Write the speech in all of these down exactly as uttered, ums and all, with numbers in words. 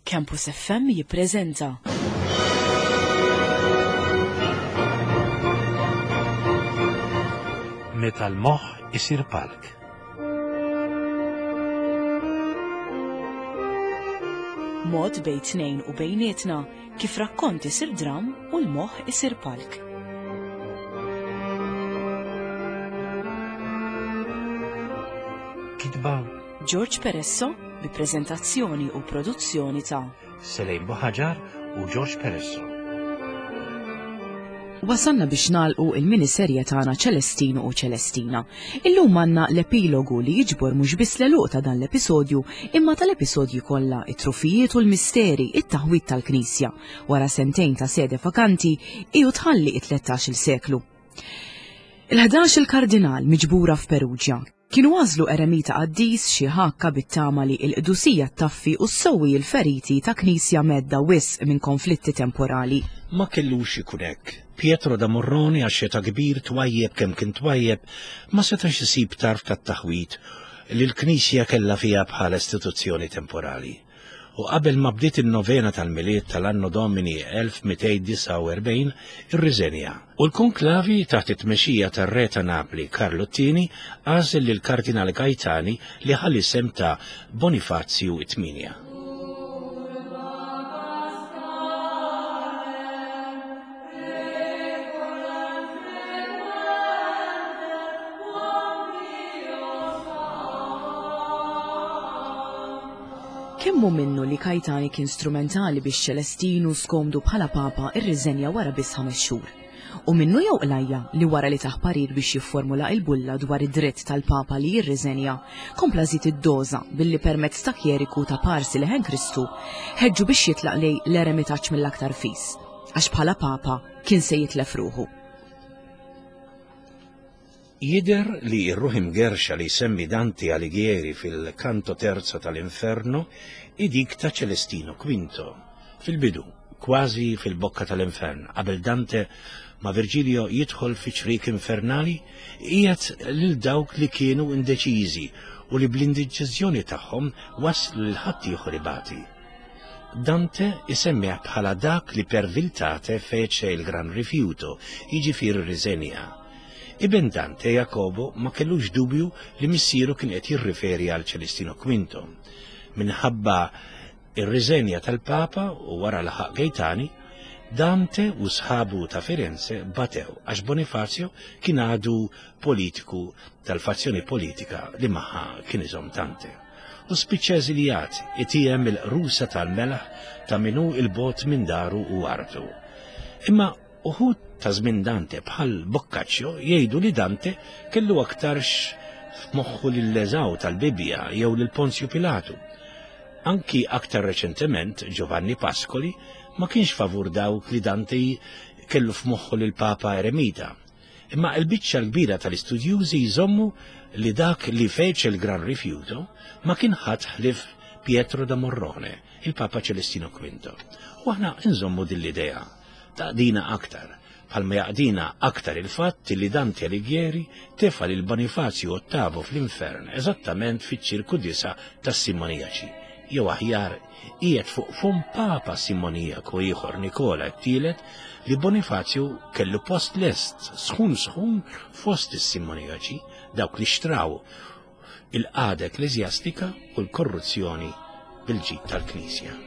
Campus F M jippreżenta Meta l-moħħ isir palk. Mod bejn tnejn u bejnietna kif rakkont isir dram u l-moħħ isir palk. Kitba George Peresso bi preżentazzjoni u produzzjoni ta' Selejn Buħaġar u George Peresso. Wasanna biex nagħlqu il-miniserje tagħna Ċelestino u Ċelestina. Illum għandna l-epilogu li jiġbor mhux biss l-għeluq ta' dan l-episodju, imma tal-episodji kollha, it-trufijiet u l-misteri, it-taħwit tal-Knisja. Wara sentejn ta' sede vakanti, iju tħalli it-tlettax-il seklu. Il-ħdax il-kardinal miġbura f'Perugia kienu għażlu eremita qaddis xi ħakka bit-tama li l-qdusija taffi u ssewwi l-feriti ta' knisja medda wisq minn konflitti temporali. Ma kellux ikun hekk. Pietro da Morrone, għax ta' kbir twajjeb kemm kien twajjeb, ma setax isib tarf tat-taħwit li l-Knisja kellha fiha bħala istituzzjoni temporali. U qabel ma bdiet in-novena tal-Milied tal-Anno Domini elf mitejn disgħa u erbgħin irriżenja. U l-konklavi taħt it-tmexxija tar-re ta' Napli Karlo t-Tieni għażel lil Kardinal Gaetani li ħa l-isem ta' Bonifazju it-Tminja. Kemm hu minnu li Gaetani kien strumentali biex Ċelestinu skomdu bħala papa irriżenja wara biss ħames xhur? U minnu jew qlajja li wara li tah parir biex jifformula il-bulla dwar id-dritt tal-papa li jirriżenja, kompla żid id-doża billi permezz ta' kjeriku ta' parsi leħen Kristu ħeġġu biex jitlaq lejn l-eremitaġġ mill-aktar fis, għax bħala papa kien se jitlef ruħu? Jider li r-ruħ imgerxa li jsemmi Dante Alighieri fil-kanto terzo tal-Inferno hi dik ta' Celestino Quinto. Fil-bidu, kważi fil-bokka tal-Infern, qabel Dante ma' Virgilio jidħol fi ċrik infernali, qiegħed lil dawk li kienu indeċiżi u li bl-indeċiżjoni tagħhom waslu lil ħaddieħor ibati. Dante isemmih bħala dak li per viltate fece il gran rifiuto, jiġifieri riżenja. Iben Dante, Jacobo, ma kellux dubju li missieru kien qed jirriferi għal Celestino Quinto. Minħabba ir-riżenja tal-Papa u wara laħaq Gaetani, Dante u sħabu ta' Firenze batew għax Bonifazio kien għadu politiku tal-fazzjoni politika li magħha kien iżomm Dante. U spiċċa eżiljat itiegħem il-qrusa tal-melħ ta' min hu 'l bogħod minn daru u artu. Imma uħud ta' żmien Dante bħal Boccaccio jgħidu li Dante kellu aktarx f'moħħu lil Eżaw tal-Bibbja jew lil Ponzju Pilatu. Anki aktar reċentement Giovanni Pascoli ma kienx favur dawk li Dante kellu f'moħħu lil Papa Eremita. Imma il-biċċa l-kbira tal-istudjużi jżommu li dak li fece il-gran rifiuto ma kien ħadd ħlief Pietro da Morrone, il-Papa Celestino Quinto. U aħna nżommu din l-idea. Taqdina aktar, bħalma jaqdina aktar il-fatt li Dante Alighieri tefa lil Bonifazio Ottavo fl-infern eżattament fiċ-ċirku disa tas-Simoniaċi. Jew aħjar, qiegħed fuq fum Papa Simoniaku ieħor, Nikola t-Tielet, li Bonifazio kellu post lest sħun sħun fost is-Simoniaċi, dawk li xtraw il-qagħda ekklesjastika u l-korruzzjoni bil-ġid tal-Knisja.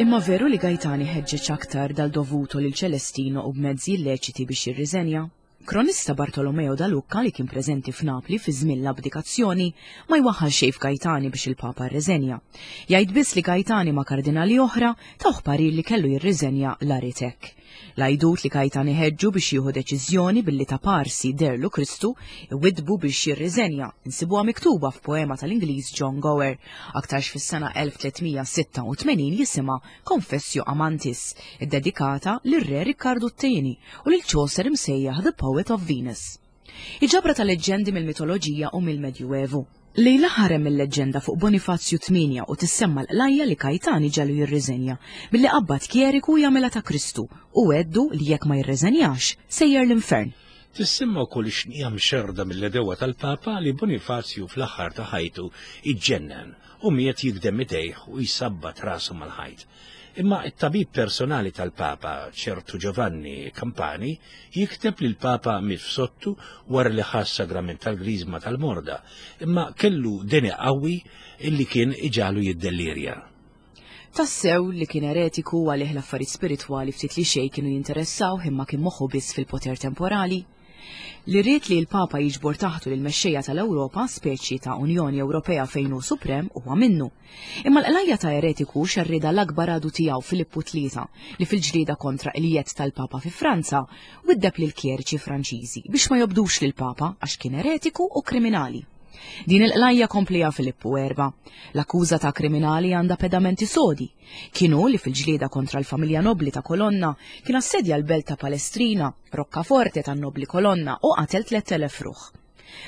Imma veru li Gaetani ħeġġeġ aktar dal-dovuto lil Ċelestino u b'mezzi illeċiti biex jirriżenja? Kronista Bartolomeo da Lucca, li kien preżenti f'Napli fi żmien l-abdikazzjoni, ma jwaħħal xejn f'Gaetani biex il-Papa rriżenja. Jgħid biss li Gaetani ma' kardinali oħra tawh parir li kellu jirriżenja l-aritek. L-għajdut li Gaetani ħeġġu biex jieħu deċiżjoni billi ta' parsi deherlu Kristu iwiddbu biex jirriżenja, insibuha miktuba f'poema tal-Ingliż John Gower, aktarx fis-sena elf tliet mija sitta u tmenin, jisimha Confessio Amantis, iddedikata lir-Re Riccardo t-Tieni u lil Chaucer imsejjaħ The Poet of Venus. Iġabra ta' leġġendi mill-mitoloġija u mill-Medjuevu. Lejla ħarem il-leġġenda fuq Bonifazju tmienja u tissemma l-qlajja li Kajtani ġalu jirriżenja billi qabbad kjeriku jagħmilha ta' Kristu u għeddu li jekk ma jirriżenjax sejjer l-infern. Tissemma wkoll xnija mxerda mill-edewa tal-Papa li Bonifazju fl-aħħar ta' ħajtu iġġennen u miet jikdem idejh u jsabbat rasu mal-ħajt. Imma it-tabib personali tal-Papa, ċertu Giovanni Campani, jikteb li l-Papa miet f'sottu wara li ħass sagrament tal-griżma tal-morda, imma kellu deni qawwi illi kien iġalu jiddellirja. Tassew li kien eretiku għalih l-affarijiet spiritwali ftit li xejn kienu jinteressaw imma kien moħħu biss fil-poter temporali. Li ried li l-Papa jiġbor taħtu lil mexxejja tal-Ewropa, speċi ta' Unjoni Ewropea fejn hu suprem, huwa minnu. Imma l-qlajja ta' eretiku xerrida l-akbar għadu tiegħu Filippu tlieta li fil-ġlieda kontra il-jett tal-Papa fi Franza widdeb lil kjeriċi Franċiżi biex ma jobdux lil Papa għax kien eretiku u kriminali. Din il-qlajja komplija Filippu erba. L-akkuża ta' kriminali għandha pedamenti sodi. Kienu li fil-ġlieda kontra l-familja nobli ta' Kolonna kien assedja l-belt ta' Palestrina, roccaforte tan-nobli Kolonna u qatel tliet elef ruħ.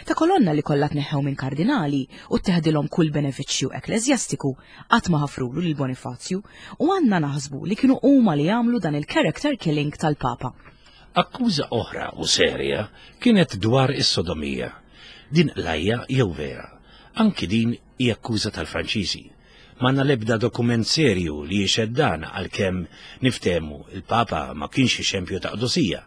Ta' Kolonna li kollha tneħħew minn kardinali u teħdilhom kull benefiċċju ekleżjastiku qatt ma ħafrulu lil Bonifazju u għandna naħsbu li kienu huma li jagħmlu dan il-character killing tal-Papa. Akkuża oħra u serja kienet dwar is-sodomija. Din qlajja jew vera. Anki din hi akkuża tal-Franċiżi. M'għandna l-ebda dokument serju li jixhed dan għalkemm niftehmu il-Papa ma kienx xempju ta' qdusija.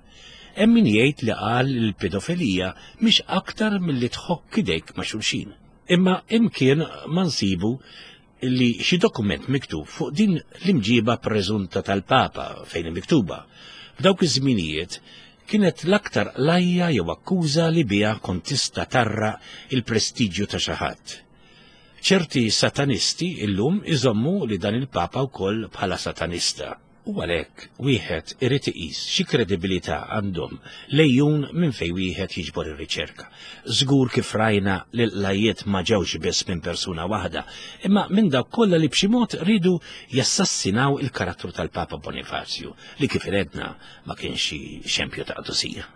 Hemm min jgħid li qal l-pedofilija mhix aktar milli tħokk idejk ma' xulxin. Imma imkien ma nsibu li xi dokument miktub fuq din l-imġiba preżunta tal-Papa fejn miktuba. F'dawk iż-żminijiet kienet l-aktar qlajja jew akkuża li biha kont tista' tarra il-prestiġju ta' xi ħadd. Ċerti satanisti illum iżommu li dan il-Papa wkoll bħala satanista. U għalhekk wieħed irid iqis xi kredibilità għandhom lejjun minn fejn wieħed jiġbor ir-riċerka. Żgur kif rajna li l-qlajjiet ma ġewx biss minn persuna waħda, imma minn dawk kollha li b'xi mod ridu jassassinaw il-karattru tal-Papa Bonifazju, li kif iredna ma kienx xi xempju ta' qdusija.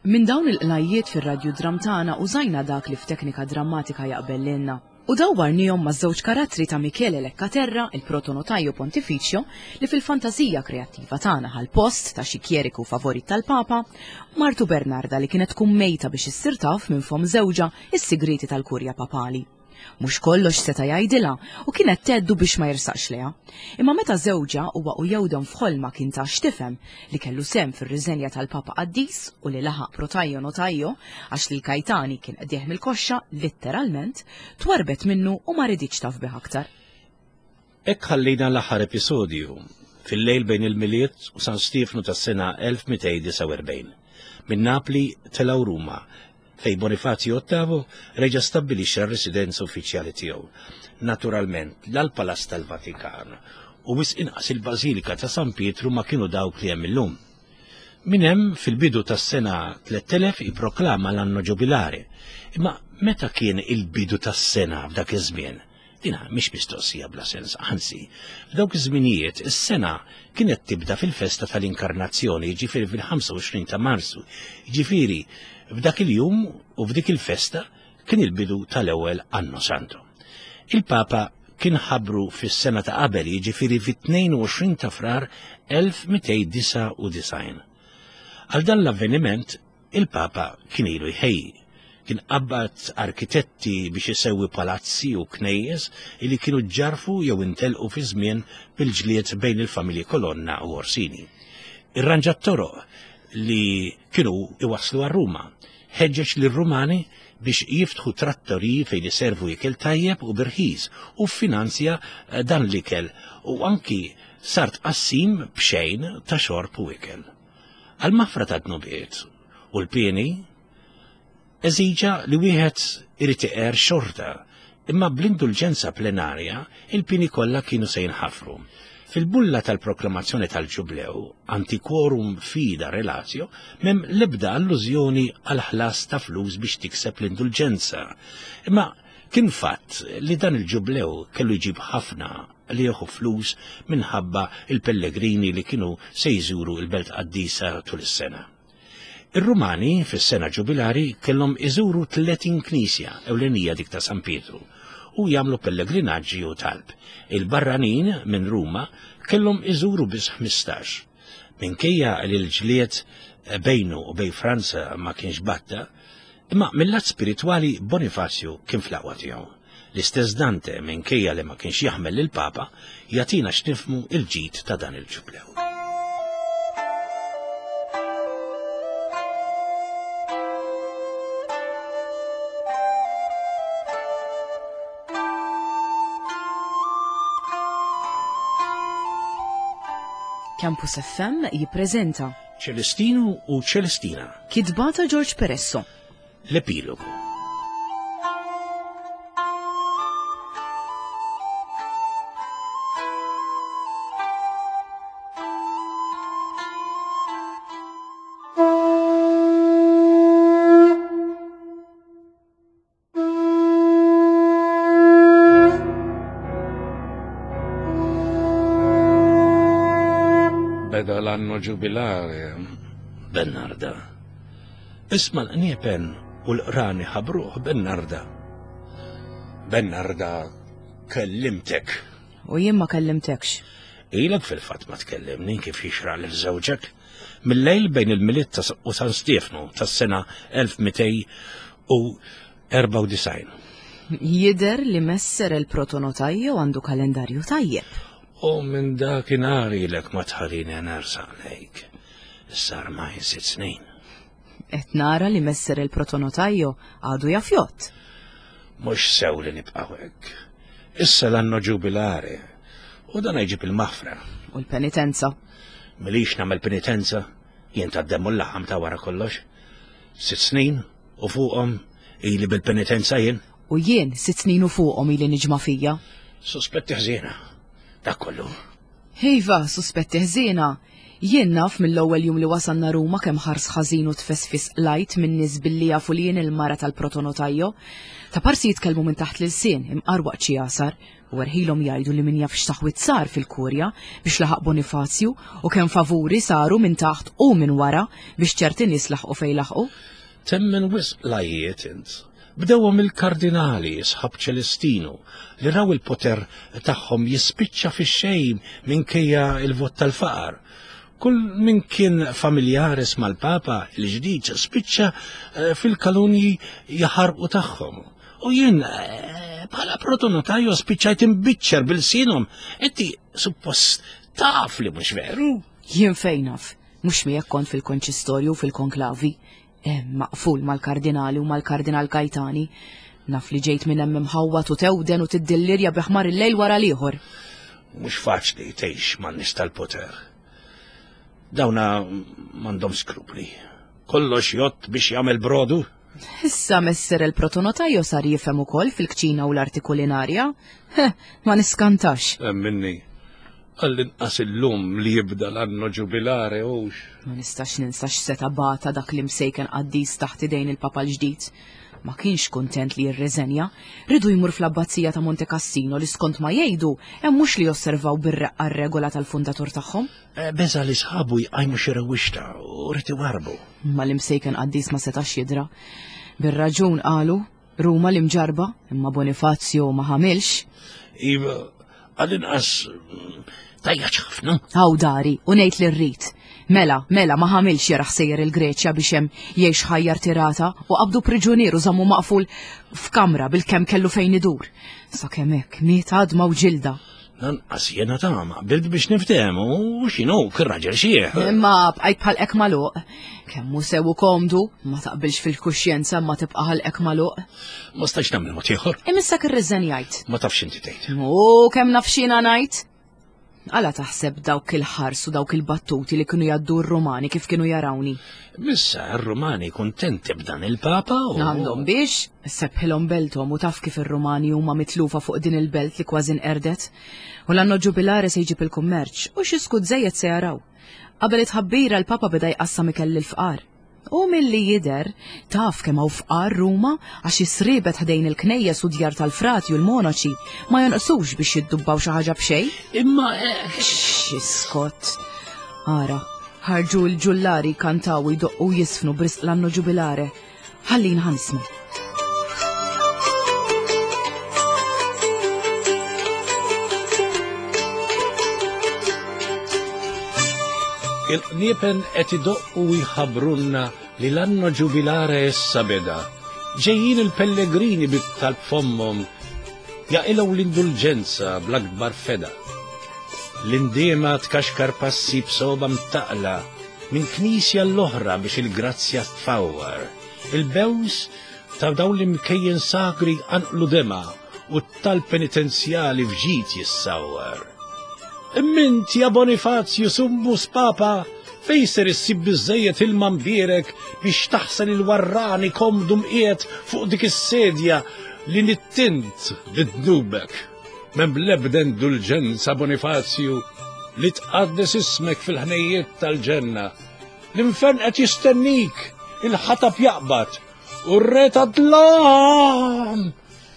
Minn dawn il-qlajjiet fir-radju dram tagħna użajna dak li f'teknika drammatika jaqbel lilna. U dawwarnihom ma' żewġ karattri ta' Michele Leccaterra, il-protonotajo pontificio, li fil-fantażija kreattiva tagħna ħal post ta' xi kjeriku favorit tal-Papa, u martu Bernarda li kienet tkun mejta biex issir taf minn fom żewġha is-sigriti tal-kurja papali. Mhux kollox seta' jgħidilha u kienet tgħeddu biex ma jirsaqx leha. Imma meta żewġha huwa u jewdhom f'ħolma kien ta' x'tifhem li kellu sehem fir-riżenja tal-Papa Qaddis u li laħaq protajjo notajjo għax lil Kajtani kien qdieħ mill-koxxa litteralment, twarbet minnu u ma riditx taf bih aktar. Hekk ħallejna l-aħħar episodju fil-lejl bejn il-Milied u San Stiefnu tas-sena elf mitejn disgħa u erbgħin. Minn Napli telgħu Ruma fej Bonifazio Ottavo reġa' stabbilixxa r-residenza uffiċjali tiegħu. Naturalment, l-Palazz tal-Vatikan u wisq inqas il-Bażilika ta' San Pietru ma kienu dawk li hemm illum. Min hemm fil-bidu tas-sena tliet elef ipproklama l-anno ġubilari. Imma meta kien il-bidu tas-sena f'dak iż-żmien? Dina mhix mistoqsija bla sens, anzi, f'dawk iż-żminijiet is-sena kienet tibda fil-festa tal-Inkarnazzjoni, jiġifieri fil-ħamsa u għoxrin ta' Marzu. Jiġifieri f'dak il-jum u f'dik il-festa kien il-bidu tal-ewwel Anno Santo. Il-Papa kien ħabru fis-sena ta' qabel, jiġifieri fit-tnejn u għoxrin ta' Frar elf mitejn disgħa u disgħin. Għal dan l-avveniment il-Papa kien ilu jħejji. Kien qabbad arkitetti biex isewwi palazzi u knejjes li kienu ġarfu jew intelqu fi żmien bil-ġlied bejn il-familji Colonna u Orsini. Irranġa t-toroq li kienu iwasslu għal Ruma, ħeġġeġ lir-Rumani biex jiftħu trattoriji fejn iservu ikel tajjeb u birħis u ffinanzja dan l-ikel u anki sar tqassim b'xejn ta' xorb u ikel. Għal-mafra ta' dnubiet u l-pieni eżiġa li wieħed irid iqer xorta, imma bl-indulġenza plenarja il-pieni kollha kienu se jinħafru. Fil-bulla tal-proklamazzjoni tal-Ġublew, Antiquorum Fida Relatio, m'hemm l-ebda allużjoni għal ħlas ta' flus biex tikseb l-indulġenza. Imma kien fatt li dan il-Ġublew kellu jġib ħafna li jieħu flus minħabba il-pellegrini li kienu se jżuru il-Belt Qaddisa tul is-sena. Ir-Rumani fis-sena ġubilari kellhom iżuru tletin knisja ewlenija dik ta' San Pietru u jagħmlu pellegrinaġġi u talb. Il-barranin minn Ruma kellhom iżuru biss ħmistax. Minkejja li l-ġlied bejnu u bejn Franza ma kienx batta, imma mill-lat spiritwali Bonifazju kien fl-aqwa tiegħu. L-istess Dante, minkejja li ma kienx jaħmel lill-Papa, jagħtina x'nifhmu il-ġid ta' dan il-ġublew. Campus F M jippreżenta Ċelestinu u Ċelestina, kitba ta' George Peresso, l-epilogu. Beda l-anno ġubilare, Bernarda. Isma l-qniepen u l-qrani ħabruh, Bernarda. Bernarda, kellimtek. U jien ma kellimtekx. Ilek fil-fatt ma tkellimni kif jixraq lil żewġek. Mill-lejl bejn il-Milied ta' u San Stiefnu tas-sena elf mitej u erbgħa u disgħin. Jidher li messer il-protonotajju għandu kalendarju tajjeb. U minn dakinhar ilek ma tħallini nersaq lejk. Issa armajn sitt snin. Qed nara li messer il-protonotajju għadu jafjott. Mhux sew li nibqgħu hekk. Issa l-anno ġubilare u dan jġib il-maħfra. U l-penitenza. Milix nagħmel penitenza, jien tad-demm u l-laħam ta' wara kollox. Sitt snin u fuqhom ili bil-penitenza jien. U jien sitt snin u fuqhom ili niġma' fija. Suspetti ħżiena. Dak kollu. Iva, suspetti ħżiena. Jien naf mill-ewwel jum li wasalna Ruma kemm ħars ħażin u tfesfis lajt minn nies billi jafu li jien il-mara tal-protonotajjo. Ta' parsi jitkellmu minn taħt l-ilsien, imqar waqt xi jasar, u erħilhom jgħidu li min jaf x'taħwit sar fil-kurja biex laħaq Bonifazju u kemm favuri saru minn taħt u minn wara biex ċerti nies laħqu fejn laħqu. Temmen wisq lajiet int. Bdewhom il-kardinali sħab Ċelestinu li raw il-poter tagħhom jispiċċa fix-xejn minkejja il-vot tal-faqar. Kull min kien familjaris mal-Papa il-ġdid spiċċa, eh, fil-kalunji jaħarqu tagħhom. U jien, eh, bħala protonotajju spiċċajt imbiċċer bil-sinhom. Inti suppost taf li mhux veru. Jien fejn naf, mhux miegħek kont fil-konċistorju u fil-konklavi. Hemm maqful mal-kardinali u mal-kardinal Gaetani. Naf li ġejt minn hemm imħawwat u tewden u tiddillirja bi ħmar il-lejl wara l-ieħor. Mhux faċli tgħix man-nies tal-poter. Dawna m'għandhom skrupli. Kollox jott biex jagħmel brodu. Issa messer il-protonotajju sar jifhem ukoll fil-kċina u l-arti kulinarja. Heh, ma niskantax. Minni, għall-inqas illum li jibda l-anno ġubilare hux. Ma nistax ninsa x'seta' bata dak li msejken qaddis taħt idejn il-Papa l-ġdid. Ma kienx kuntent li jirreżenja, ridu jmur fl-abbazija ta' Monte Cassino li skont ma jgħidu hemm mhux li josservaw bir-reqqa r-regola tal-fundatur tagħhom. Eh, beża li sħabu jqajmu xi rewwixta u rid iwarbu. Ma l-imsejken qaddis ma setax jidra. Bir-raġun qalu, Ruma l-imġarba, imma Bonifazio ma ħamilx. Iva, għall-inqas tajjaċ ħafna. Haw dari, u ngħid li rrid. Mela, mela, ma ħamilx jaraħ sejjer il-Greċja biex hemm jgħix ħajja rtirata u qabdu priġunier u żammu maqful f'kamra bil-kemm kellu fejn idur. Sakemm hekk miet għadma u ġilda. Lanqas jiena tama, qbilt biex niftehmu u x'inhu kien raġel xieħ. Imma bqajt bħalqek magħluq. Kemm hu sew u komdu, ma taqbilx fil-kuxjenza ma tibqa' ħalqek magħluq. Ma stajtx nagħmel mod ieħor. Imissek irriżenjajt. Ma tafx inti tgħid. U kemm naf x'jiena ngħid? Għala taħseb dawk il-ħars u dawk il-battuti li kienu jgħaddu r-Rumani kif kienu jarawni? Missa r-Rumani kuntenti b'dan il-Papa u. Għandhom biex, sebħilhom belthom u taf kif ir-Rumani huma mitlufa fuq din il-belt li kważi nqerdet. U l-anno ġubilare se jġib il-kummerċ u xi skud żejjed se jaraw. Qabel it-tħabbira l-Papa beda jqassam ikel lill-fqar. U milli jidher, taf kemm hawn fqar Ruma għax is-sriebet ħdejn il-knejjes u djar tal-frati u l-monaċi ma jonqsux biex jiddubbaw xi ħaġa b'xejn. Imma X'iskot. Ara, ħarġu l-ġullari jkantaw u jdoqqu u jisfnu b'risq l-anno ġubilare. Ħallina ħa nisma'. Il-qniepen qed idoqqu u jħabbrulna li l-anno ġubilare issa beda. Ġejjin il-pellegrini bit-talb fommhom jaqilgħu l-indulġenza bl-akbar feda. L-indiema tkaxkar passi b'soba mtaqla minn knisja l-oħra biex il-grazzja tfawwar. Il-bews ta' dawn l-imkejjen sagri anqlu dema u t-talb penitenzjali f'ġid jissawwar. Imma ja Bonifazju summus Papa, fejn ser issib biżżejjed ilma mbierek biex taħsel il-warrani komdu mqiegħed fuq dik is-sedja li nittint bidnubek. M'hemm l-ebda indulġenza Bonifazju li tqaddes ismek fil-ħnejjiet tal-ġenna. L-infern qed jistennik, il-ħatab jaqbad u r-re tad-dlam.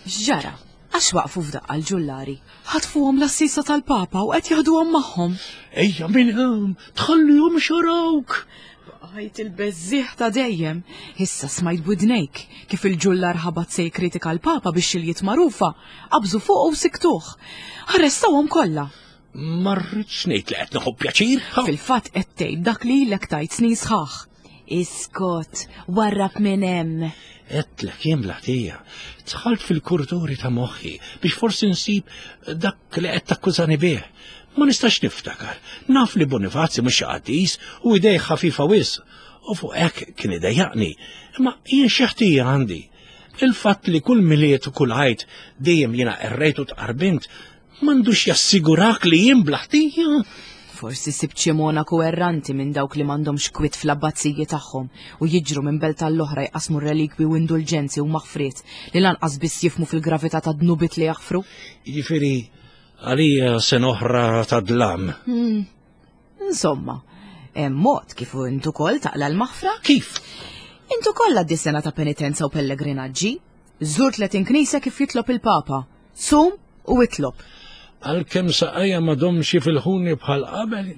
X'ġara? Għax waqfu f'daqqa l-ġullari. Ħatfuhom l-assisa tal-Papa u qed jaħduhom magħhom. Ejja minn hawn, tħallihom xarawk. Bqajt il-beżżieħ ta' dejjem. Issa smajt b'widnejk kif il-ġullar ħabat se jikkritika l-Papa biex xiljiet magħrufa. Qabżu fuq u siktuh. Arrestawhom kollha. Ma rridx ngħid li qed nieħu pjaċir. Fil-fatt qed tgħid dak li ilek tgħid snin sħaħ. Iskot, warrab minn hemm. Għedtlek jien bl-ħtija, dħalt fil-kurduri ta' moħħi biex forsi nsib dak li qed takkużani bih. Ma nistax niftakar. Naf li Bonifazzi mhux xi qaddis u idej ħafifa wisq u fuq hekk kien idejjaqni. Imma jien xi ħtija għandi. Il-fatt li kull Milied u kull Għid dejjem jiena qerrejt u tqarbint m'għandux jassigurak li jien bla ħtija. Forsi sibt xi monaku erranti minn dawk li m'għandhomx kwiet fl-abbazziji tagħhom u jiġru minn belt tal-oħra jqasmu relikwi u indulġenzi u maħfriet li lanqas biss jifmu fil-gravità ta' dnubiet li jaħfru. Jiġifieri għalija sena oħra ta' dlam. Hmm. Insomma, hemm mod kif int ukoll taqla l-maħfra? Kif? Int ukoll għaddi sena ta' penitenza u pellegrinaġġi. Żur tletin knisja kif jitlob il-Papa. Sum u itlob. Għalkemm saqajja m'għadhomx jifilħuni bħal qabel,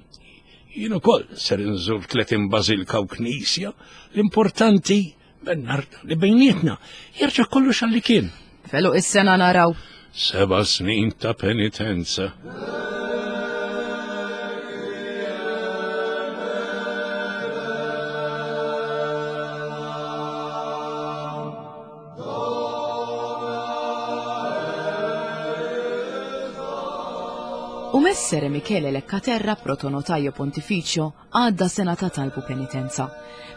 jien ukoll ser inżur tletin bażilka u knisja. L-importanti, Bernarda, li bejnietna jerġa' kollox għalli kien. Felu is-sena naraw. Seba' snin ta' penitenza. U Messere Michele Leccaterra, protonotaio pontificio, għadda sena ta' talb u penitenza.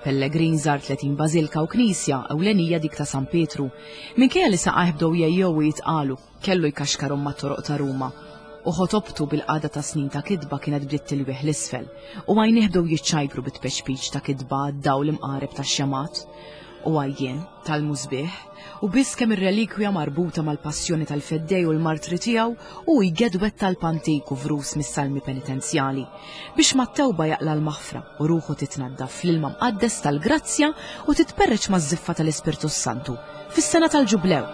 Pellegrin żar tletin bażilka u knisja, ewlenija dik ta' San Pietru. Minkejja li saqajh bdew jgħejjew u jitqalu, kellu jkaxkarhom mat-toroq ta' Ruma. U ħotobtu bil-qagħda ta' snin ta' kitba kienet bdiet tilwieħ l-isfel, u għajnih bdew jiċċajpru bit-tpexpiċ ta' kitba għad-dawl imqareb tax-xemat. U għajjien tal-musbieħ, u biss kemm ir-relikwja marbuta mal-passjoni tal-feddej u l-martri tiegħu u jgedwet tal-pantik u vrus mis-salmi penitenzjali biex mat-tewba jaqla l-maħfra u ruħu titnaddaf fl-ilma mqaddes tal-grazzja u titperreċ maż-żiffa tal-Ispirtu Santu fis-sena tal-Ġublew.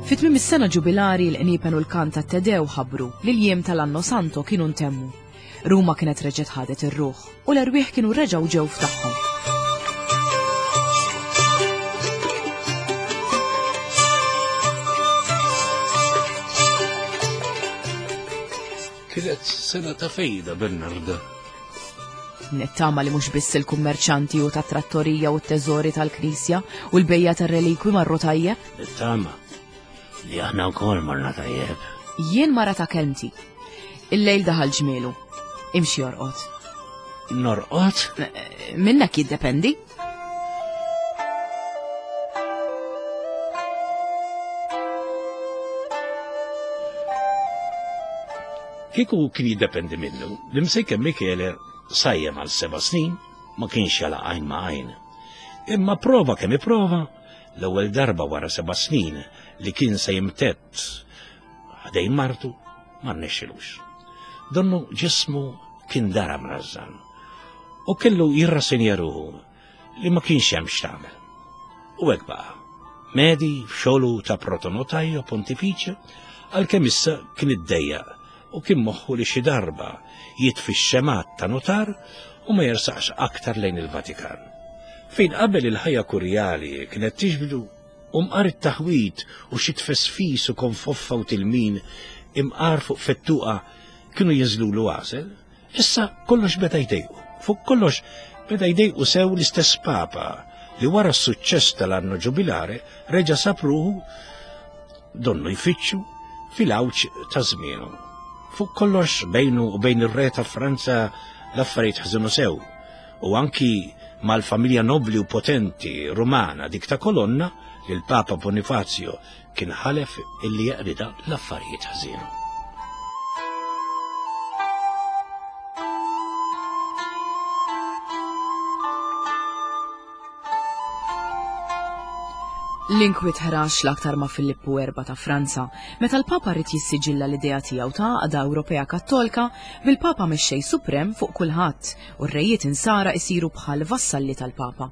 Fi tmiem is-sena ġubilari l-qniepen u l-kant tat-Tedew ħabbru li l-jiem tal-Anno Santo kienu ntemmu. Ruma kienet reġgħet ħadet ir-ruħ u l-erwieħ kienu reġgħu ġew f'tagħhom. Kienet sena ta' fejda, Bernarda. Nittama li mhux biss il-kummerċanti u tat-trattorija u t-teżori tal-knisja u l-bejja tar-relikwi marru tajjeb. Nittama Li aħna wkoll morna tajjeb. Jien mara ta' kelmti. Il-lejl daħal ġmielu. Imxi orqod. Norqod? Minnek jiddependi. Kieku kien jiddependi minnu, l-imsejken Michele sajjem għal seba' snin ma kienx jala għajn ma' għajn. Imma prova kemm iprova, l-ewwel darba wara seba' snin li kien se jimtedd ħdejn martu ma rnexxilux. Donnu ġismu kien dara mrażżan u kellu jirrasinja ruħu li ma kienx hemm x'tagħmel. U hekk baqa'. Medi f'xogħlu ta' protonotajo pontifiċju għalkemm issa kien iddejjaq u kien moħħu li xi darba jitfi x-xemat ta' notar u ma jersaqx aktar lejn il-Vatikan. Fejn qabel il-ħajja kurjali kienet tiġbdu u mqar it-taħwit u xi tfesfis u konfoffa u tilmin imqar fuq fettuqa kienu jinżlulu għasel, issa kollox beda jdejqu. Fuq kollox beda jdejqu sew l-istess Papa li wara s-suċċess tal-anno ġubilare reġa' sab ruħu donnu jfittxu fil-għawġ ta' żmienu. Fuq kollox bejnu u bejn ir-re ta' Franza l-affarijiet ħżinu sew u anki mal-familja nobli u potenti Rumana dik ta' Kolonna li l-Papa Bonifazio kien ħalef illi jaqrida l-affarijiet ħżinu. L-inkwiet ħrax l-aktar ma' Filippu erba' ta' Franza, meta l-Papa rrid jissiġilla l-idea tiegħu ta' għaqda Ewropea Kattolika bil-Papa mexxej suprem fuq kulħadd u r-rejiet insara isiru bħal vassalli tal-Papa.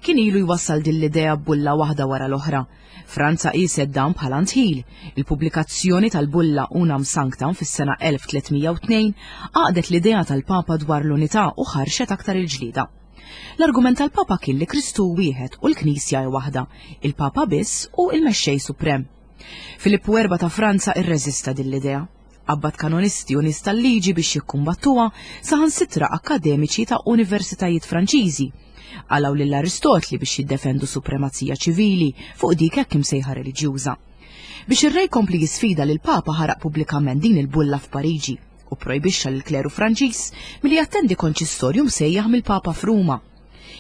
Kien ilu jwassal din l-idea b'bulla waħda wara l-oħra. Franza qiset dan bħala ntħil. Il-pubblikazzjoni tal-bulla Unam Sanctam fis-sena elf tliet mija u tnejn għaqdet l-idea tal-Papa dwar l-unità u ħarxet aktar il-ġlieda. L-argument tal-Papa kien li Kristu wieħed u l-Knisja hi waħda, il-Papa biss u il-Mexxej Suprem. Filippu erba' ta' Franza irreżista din l-idea. Qabbad kanonisti u nies tal-liġi biex jikkumbattuha saħansitra akkademiċi ta' universitajiet Franċiżi. Qalgħu lil Aristotli biex jiddefendu supremazija ċivili fuq dik hekk imsejħa reliġjuża. Biex ir-re jkompli jisfida lil Papa ħaraq pubblikament din il-bulla f'Pariġi u projbixxa lil kleru Franċiż milli jattendi konċistorju msejjaħ mill-Papa f'Ruma.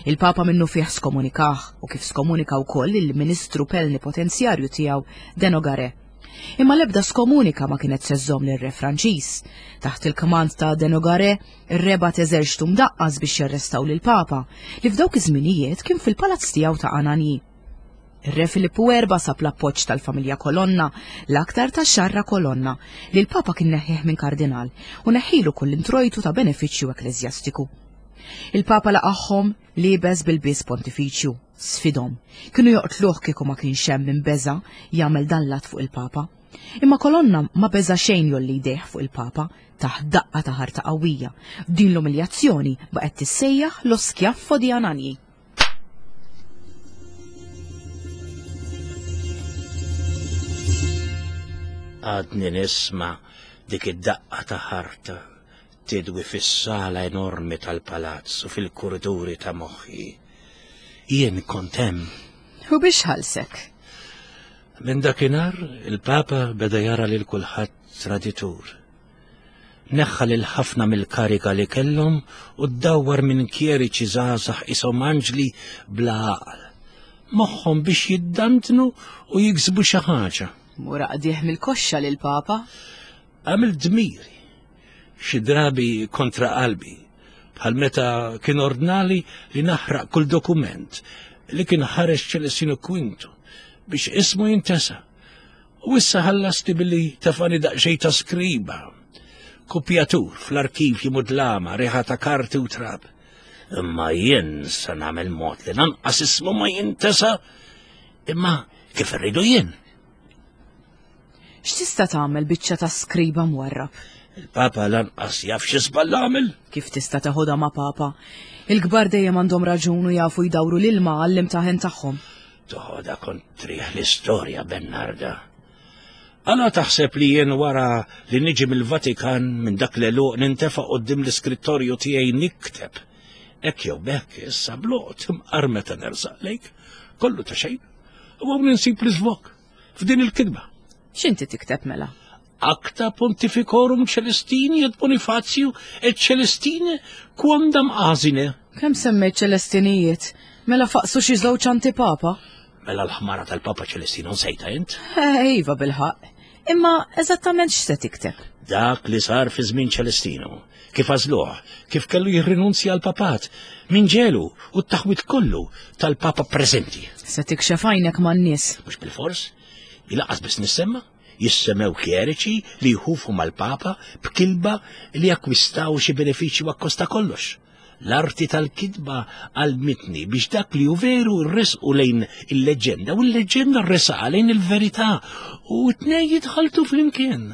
Il-Papa minnu fih skomunikah u kif skomunika wkoll il-Ministru Plenipotenzjarju tiegħu de Nogaret. Imma l-ebda skomunika ma kienet se żżomm lir-re Franċiż. Taħt il-kmand ta' de Nogaret, ir-re bagħat eżerċtu mdaqqas biex jarrestaw lill-Papa li f'dawk iż-żminijiet kien fil-palazz tiegħu ta' Ananji. Ir-re Filippu erba' sab l-appoġġ tal-familja Kolonna, l-aktar ta' Xarra Kolonna, li l-Papa kien neħħih minn kardinal u neħħilu kull introjtu ta' benefiċċju ekkleżjastiku. Il-Papa laqagħhom liebes bil-bies pontifiċju, sfidhom. Kienu joqtluh kieku ma kienx hemm min beża' jagħmel dan l-att fuq il-Papa. Imma Kolonna ma beża' xejn jolli jdejh fuq il-Papa taħt daqqa ta' ħarta qawwija. Din l-umiljazzjoni baqgħet tissejjaħ lo schiaffo di Anagni. Għadni nisma' dik id-daqqa ta' ħarta tidwi fis-sala enormi tal-palazz u fil-kuriduri ta' moħħi. Jien kont hemm. U biex ħalsek? Minn dakinhar il-Papa beda jara lil kulħadd traditur. Neħħa lil ħafna mill-karika li kellhom u ddawwar minn kjeriċi żgħażagħ ishom anġli bla għaqal. Moħħhom biex jiddantnu u jiksbu xi ħaġa. Mura qdieħ mill-koxxa lil Papa. Għamil dmiri, xi drabi kontra qalbi, bħal meta kien ordnali li naħraq kull dokument li kien ħareġ Ċelestino Quinto biex ismu jintesa. U issa ħallasti billi tafani daqsxejn ta' skriba, kopjatur fl-arkivji mudlama, riħa ta' karti u trab. Imma jien sa nagħmel mod li lanqas ismu ma jintesa, imma kif irridu jien. X'tista' tagħmel biċċa ta' skriba mwarrab? Il-Papa lanqas jaf xi żball għamel. Kif tista' teħodha ma' Papa? Il-kbar dejjem għandhom raġun u jafu jdawru l-ilma għall-imtaħen tagħhom. Toħodha kontrih l-istorja, Bernarda. Għala taħseb li jien wara li niġi mill-Vatikan minn dak l-għeluq nintefa' quddiem l-iskrittorju tiegħi nikteb. Hekk jew bekk issa bloqt imqar meta nersaq lejk, kollu ta' xejn. U hawn insib l-iżvok f'din il-kitba. X'inti tikteb mela? Acta Pontificorum Celestini et Bonifacio et Celestine quondam asine. Kemm semmejt Ċelestinijiet? Mela faqsu xi żewġ antipapa? Mela l-ħmara tal-Papa Ċelestino nsejta int? Eh, iva bilħaqq. Imma eżattament x'se tikteb? Dak li sar fi żmien Ċelestino. Kif għażluh, kif kellu jirrinunzja għal papat, min ġelu u t-taħwit kollu tal-Papa preżenti. Se tikxef għajnek man-nies. Mhux bil-fors, jilaqas biss nissemma, jissemew kjeriċi li jħufu mal-Papa b'kilba li akkwistaw xi benefiċċju akkosta kollox. L-arti tal-kitba għalmitni biex dak li hu veru rresqu lejn il-leġenda u l-leġenda rresqa lejn il-verità u t-tnejn jitħaltu flimkien.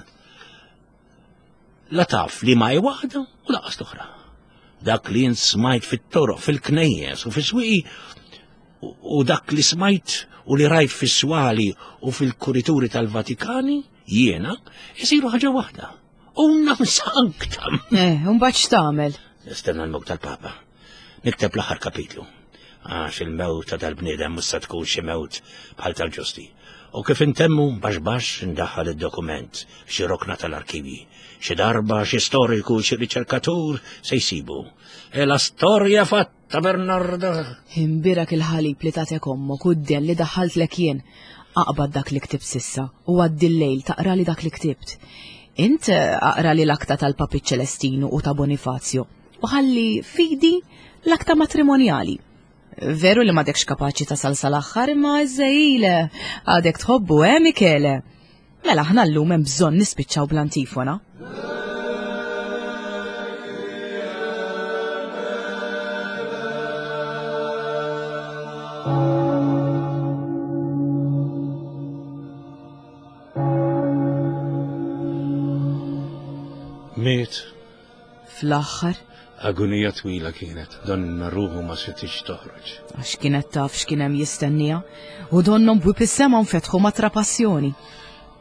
La taf li ma hi waħda u laqas l-oħra. Dak li jien smajt fit-toroq, fil-knejjes u fis-swieqi u dak li smajt u li rajt fis-swali u fil-kurituri tal-Vatikani, jiena, jisiru ħaġa waħda. Unam sanctam. Eh, mbagħad x'tagħmel? Nistenna l-mewt tal-Papa. Nikteb l-aħħar kapitlu. Għax il-mewt ta' dal-bniedem mhux se tkun xi mewt bħal tal-ġusti. U kif intemmu baxx baxx indaħħal id-dokument f'xi rokna tal-arkivji. Xi darba xi storiku, xi riċerkatur se jsibu. E la storja fatta, Bernarda. Imbirak il-ħalib li tatek ommok u d-dell li daħħaltlek jien. Aqbad dak li ktibt sissa u għaddi l-lejl taqra li dak li ktibt. Int aqra li l-akta tal-Papi Ċelestinu u ta' Bonifazio u ħalli fidi l-akta matrimonjali. Veru li m'għadekx kapaċi tasal sal-aħħar imma iżżejjile għadek tħobbu, eh Michele? Mela aħna llum hemm bżonn nispiċċaw bl-antifona. Miet. Fl-aħħar? Agonija twila kienet, donna ruħu ma setix toħroġ. Għax kienet taf x'kien hemm jistennija, u donnom bwib is-sema nfetħu ma' trapassjoni.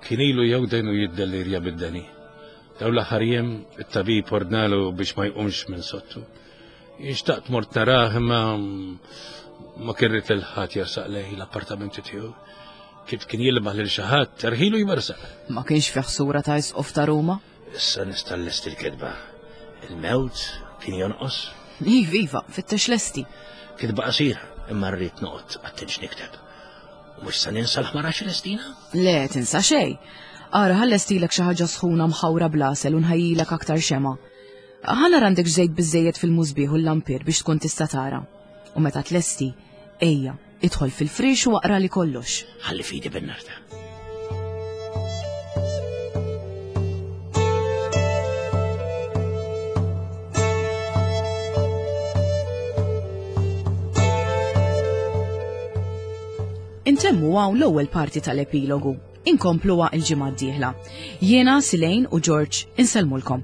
Kien ilu jew dejnu jiddellirja bid-deni. Daw l-aħħar jiem it-tabib ordnalu biex ma jqumx minn sottu. Xtaqt mort narah imma ma kirrit lil ħadd jersaq lej l-appartamenti tiegħu. Kif kien jilmaħ lil xi ħadd, terħilu jmersaq. Ma kienx fih sura ta' isqof ta' Ruma? Issa nista' lest il-kitba. Il-mewt kien jonqos? Iva, iva, fittex lesti. Kitba qasira, imma rrid noqgħod għattinx nikteb. U mhux se ninsa l-ħmara Ċelestina? Le, tinsa xejn. Ara ħallestilek xi ħaġa sħuna mħawra bl-għasel u nħajjilek aktar xema. Ħa nara għandek żejt biżejjed fil-musbieħ u l-lampir biex tkun tista' tara. U meta tlesti, ejja, idħol fil-frix u aqra li kollox. Ħalli fidi Bernarda. Intemmu hawn l-ewwel parti tal-epilogu. Inkompluha il-ġimgħa d-dieħla. Jiena, Silejn u George insellmulkom.